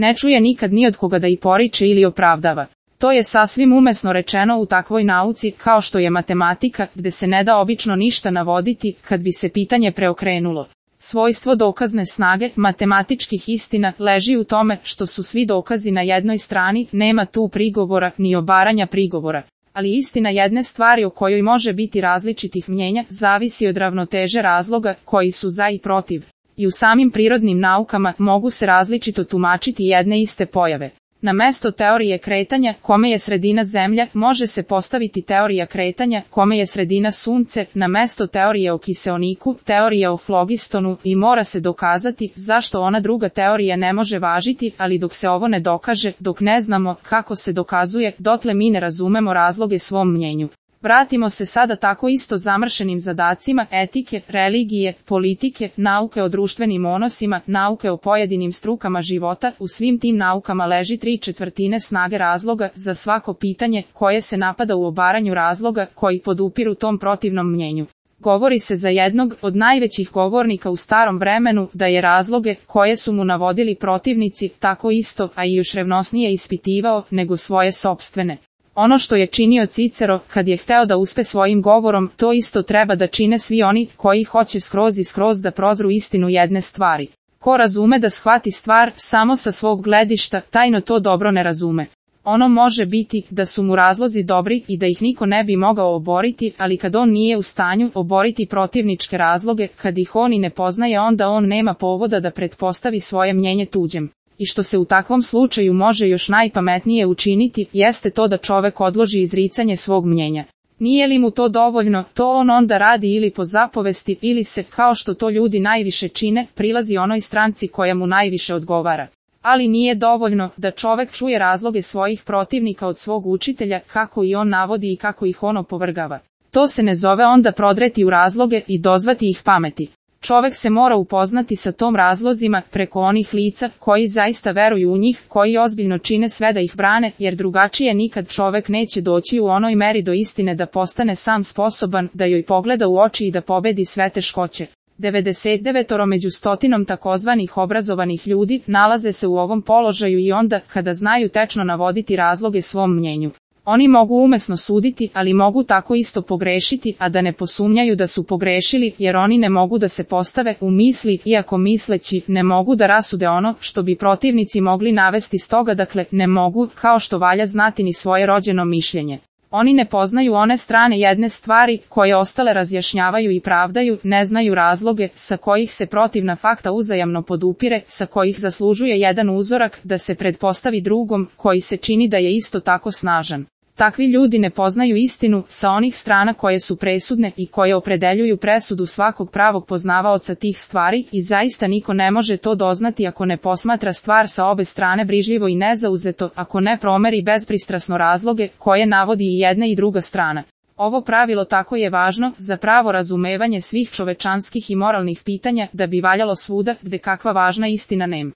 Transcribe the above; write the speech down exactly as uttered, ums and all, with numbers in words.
Ne čuje nikad ni od koga da i poriče ili opravdava. To je sasvim umesno rečeno u takvoj nauci kao što je matematika, gde se ne da obično ništa navoditi kad bi se pitanje preokrenulo. Svojstvo dokazne snage matematičkih istina leži u tome što su svi dokazi na jednoj strani, nema tu prigovora ni obaranja prigovora. Ali istina jedne stvari o kojoj može biti različitih mnjenja zavisi od ravnoteže razloga koji su za i protiv. I u samim prirodnim naukama mogu se različito tumačiti jedne iste pojave. Na mesto teorije kretanja, kome je sredina Zemlja, može se postaviti teorija kretanja, kome je sredina Sunce, na mesto teorije o kiseoniku, teorija o flogistonu i mora se dokazati zašto ona druga teorija ne može važiti, ali dok se ovo ne dokaže, dok ne znamo kako se dokazuje, dotle mi ne razumemo razloge svom mnjenju. Vratimo se sada tako isto zamršenim zadacima etike, religije, politike, nauke o društvenim odnosima, nauke o pojedinim strukama života. U svim tim naukama leži tri četvrtine snage razloga za svako pitanje koje se napada u obaranju razloga koji podupiru tom protivnom mnjenju. Govori se za jednog od najvećih govornika u starom vremenu da je razloge koje su mu navodili protivnici tako isto, a i još revnosnije ispitivao nego svoje sopstvene. Ono što je činio Cicero kad je hteo da uspe svojim govorom, to isto treba da čine svi oni koji hoće skroz i skroz da prozru istinu jedne stvari. Ko razume da shvati stvar samo sa svog gledišta, tajno to dobro ne razume. Ono može biti da su mu razlozi dobri i da ih niko ne bi mogao oboriti, ali kad on nije u stanju oboriti protivničke razloge, kad ih on i ne poznaje, onda on nema povoda da pretpostavi svoje mnjenje tuđem. I što se u takvom slučaju može još najpametnije učiniti, jeste to da čovek odloži izricanje svog mnjenja. Nije li mu to dovoljno, to on onda radi ili po zapovesti, ili se, kao što to ljudi najviše čine, prilazi onoj stranci koja mu najviše odgovara. Ali nije dovoljno da čovek čuje razloge svojih protivnika od svog učitelja, kako i on navodi i kako ih on opovrgava. To se ne zove onda prodreti u razloge i dozvati ih pameti. Čovek se mora upoznati sa tom razlozima preko onih lica koji zaista veruju u njih, koji ozbiljno čine sve da ih brane, jer drugačije nikad čovek neće doći u onoj meri do istine da postane sam sposoban da joj pogleda u oči i da pobedi sve teškoće. devedeset devet među stotinom takozvanih obrazovanih ljudi nalaze se u ovom položaju i onda kada znaju tečno navoditi razloge svom mnjenju. Oni mogu umesno suditi, ali mogu tako isto pogrešiti, a da ne posumnjaju da su pogrešili, jer oni ne mogu da se postave u misli, iako misleći ne mogu da rasude ono što bi protivnici mogli navesti stoga, dakle, ne mogu, kao što valja znati ni svoje rođeno mišljenje. Oni ne poznaju one strane jedne stvari, koje ostale razjašnjavaju i pravdaju, ne znaju razloge, sa kojih se protivna fakta uzajamno podupire, sa kojih zaslužuje jedan uzorak da se pretpostavi drugom, koji se čini da je isto tako snažan. Takvi ljudi ne poznaju istinu sa onih strana koje su presudne i koje opredeljuju presudu svakog pravog poznavaoca tih stvari i zaista niko ne može to doznati ako ne posmatra stvar sa obe strane brižljivo i nezauzeto, ako ne promeri bezpristrasno razloge koje navodi i jedna i druga strana. Ovo pravilo tako je važno za pravo razumevanje svih čovečanskih i moralnih pitanja da bi valjalo svuda gde kakva važna istina nema.